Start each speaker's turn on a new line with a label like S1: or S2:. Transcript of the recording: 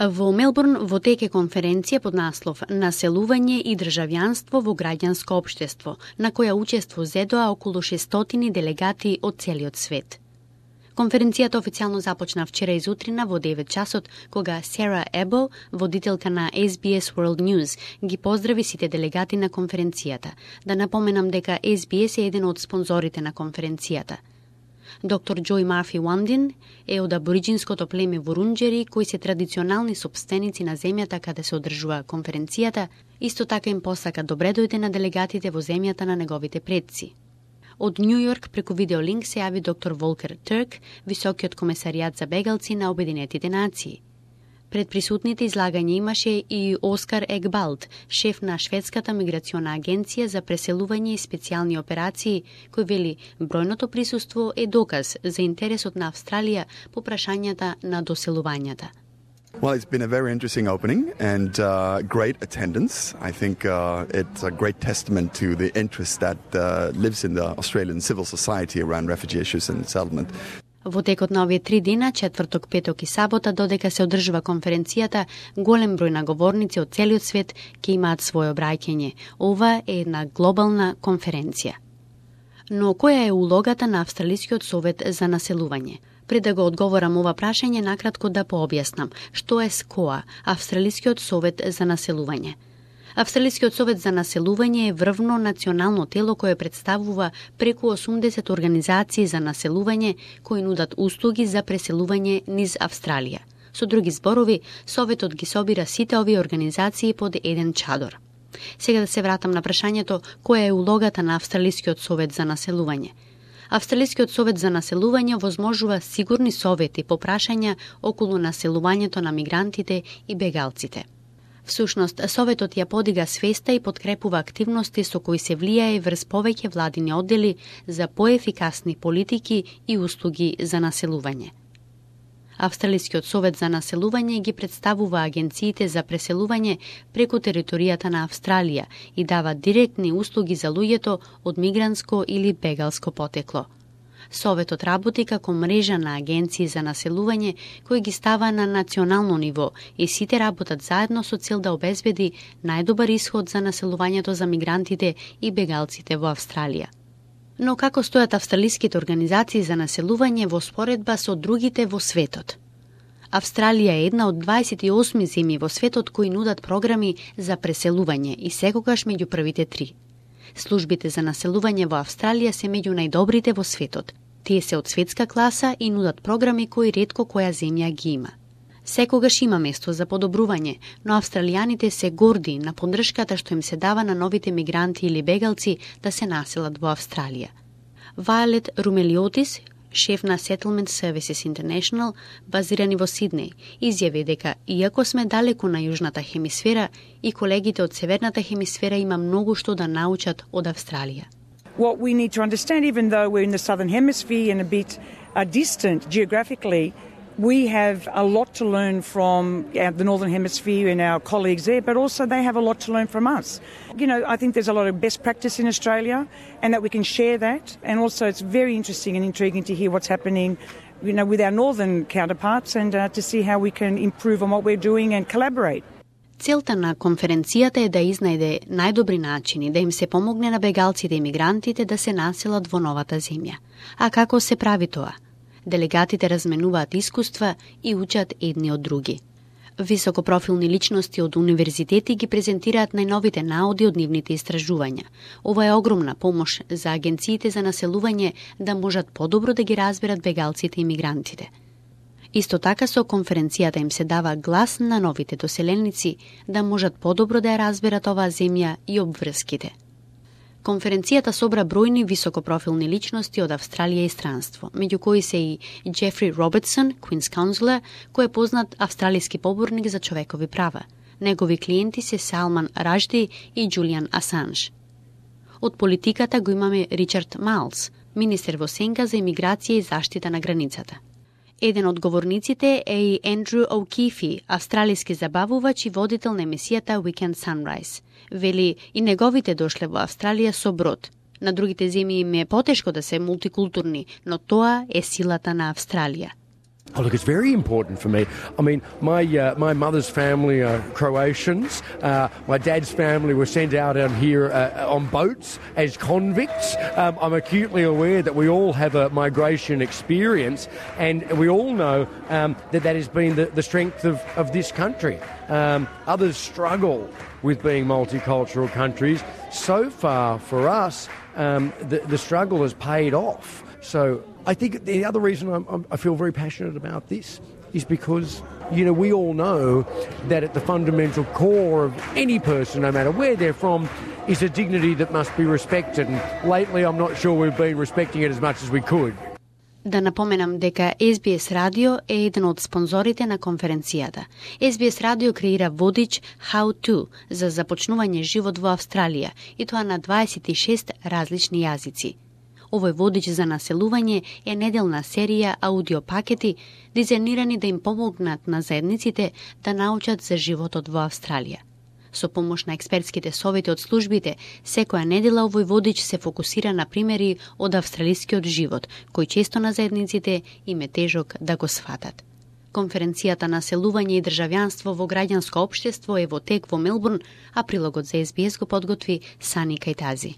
S1: Во Мелбурн во тек е конференција под наслов «Населување и државјанство во граѓанско општество», на која учество зедоа околу 600 делегати од целиот свет. Конференцијата официјално започна вчера изутрина во 9 часот, кога Сара Ебо, водителка на SBS World News, ги поздрави сите делегати на конференцијата. Да напоменам дека SBS е еден од спонзорите на конференцијата. Доктор Джој Марфи Уандин е од абориджинското племе Вурунџери, кои се традиционални сопственици на земјата каде се одржува конференцијата, исто така им посака добре дојде на делегатите во земјата на неговите предци. Од Нью Йорк преку видеолинк се јави доктор Волкер Турк, високиот комесаријат за бегалци на Обединетите нации. Пред присутните излагање имаше и Оскар Егбалд, шеф на Шведската миграциона агенција за преселување и специјални операции, кој вели бројното присуство е доказ за интересот на Австралија по прашањата на доселувањата.
S2: Well, it's been a very interesting opening and great attendance. I think it's a great testament to the interest that lives in the Australian civil society around refugee issues and settlement.
S1: Во текот на овие 3 дена, четврток, петок и сабота, додека се одржува конференцијата, голем број на говорници од целиот свет ќе имаат своје обраќање. Ова е една глобална конференција. Но која е улогата на Австралискиот совет за населување? Пред да го одговорам ова прашање, накратко да пообјаснам што е СКОА, Австралискиот совет за населување. Австралискиот совет за населување е врвно национално тело кое представува преку 80 организации за населување кои нудат услуги за преселување низ Австралија. Со други зборови, советот ги собира сите овие организации под еден чадор. Сега да се вратам на прашањето која е улогата на Австралискиот совет за населување. Австралискиот совет за населување возможува сигурни совети по прашања околу населувањето на мигрантите и бегалците. Всушност, советот ја подига свеста и подкрепува активности со кои се влијае врз повеќе владини оддели за поефикасни политики и услуги за населување. Австралискиот совет за населување ги представува агенциите за преселување преку територијата на Австралија и дава директни услуги за луѓето од мигрантско или бегалско потекло. Советот работи како мрежа на агенции за населување кои ги става на национално ниво и сите работат заедно со цел да обезбеди најдобар исход за населувањето за мигрантите и бегалците во Австралија. Но како стојат австралиските организации за населување во споредба со другите во светот? Австралија е една од 28 земји во светот кои нудат програми за преселување и секогаш меѓу првите 3. Службите за населување во Австралија се меѓу најдобрите во светот. Тие се од светска класа и нудат програми кои ретко која земја ги има. Секогаш има место за подобрување, но австралијаните се горди на поддршката што им се дава на новите мигранти или бегалци да се населат во Австралија. Вајолет Румелиотис, шеф на Settlement Services International, базирани во Сиднеј, изјави дека иако сме далеку на јужната хемисфера, и колегите од северната хемисфера има многу што да научат од Австралија.
S3: What we need to understand, even though we're in the southern hemisphere and a bit distant geographically, we have a lot to learn from the northern hemisphere and our colleagues there, but also they have a lot to learn from us. You know, I think there's a lot of best practice in Australia and that we can share that. And also it's very interesting and intriguing to hear what's happening, you know, with our northern counterparts and to see how we can improve on what we're doing and collaborate.
S1: Целта на конференцијата е да изнајде најдобри начини да им се помогне на бегалците и мигрантите да се населат во новата земја. А како се прави тоа? Делегатите разменуваат искуства и учат едни од други. Високопрофилни личности од универзитети ги презентираат најновите наоди од нивните истражувања. Ова е огромна помош за агенциите за населување да можат подобро да ги разберат бегалците и мигрантите. Исто така со конференцијата им се дава глас на новите доселеници да можат подобро да ја разберат оваа земја и обврските. Конференцијата собра бројни високопрофилни личности од Австралија и странство, меѓу кои се и Джефри Робертсон, Queen's Counsellor, кој е познат австралиски поборник за човекови права. Негови клиенти се Салман Ражди и Џулијан Асанж. Од политиката го имаме Ричард Майлс, министер во сенка за имиграција и заштита на границата. Еден од говорниците е и Ендрю О'Кифи, австралиски забавувач и водител на емисијата Weekend Sunrise. Вели и неговите дошле во Австралија со брод. На другите земји им е потешко да се мултикултурни, но тоа е силата на Австралија.
S4: Oh, look, it's very important for me. I mean, my mother's family are Croatians. My dad's family were sent out here on boats as convicts. I'm acutely aware that we all have a migration experience, and we all know that has been the strength of this country. Others struggle with being multicultural countries. So far, for us, the struggle has paid off. So I think the other reason I feel very passionate about this is because, we all know that at the fundamental core of any person, no matter where they're from, is a dignity that must be respected. And lately, I'm not sure we've been respecting it as much as we could.
S1: Да напоменам дека SBS Радио е еден од спонзорите на конференцијата. SBS Радио креира водич How To за започнување живот во Австралија, и тоа на 26 различни јазици. Овој водич за населување е неделна серија аудиопакети дизајнирани да им помогнат на заедниците да научат за животот во Австралија. Со помош на експертските совети од службите, секоја недела овој водич се фокусира на примери од австралискиот живот, кој често на заедниците им е тежок да го сфатат. Конференцијата Населување и државјанство во граѓанско општество е во тек во Мелбурн, а прилогот за SBS го подготви Сани Кајтази.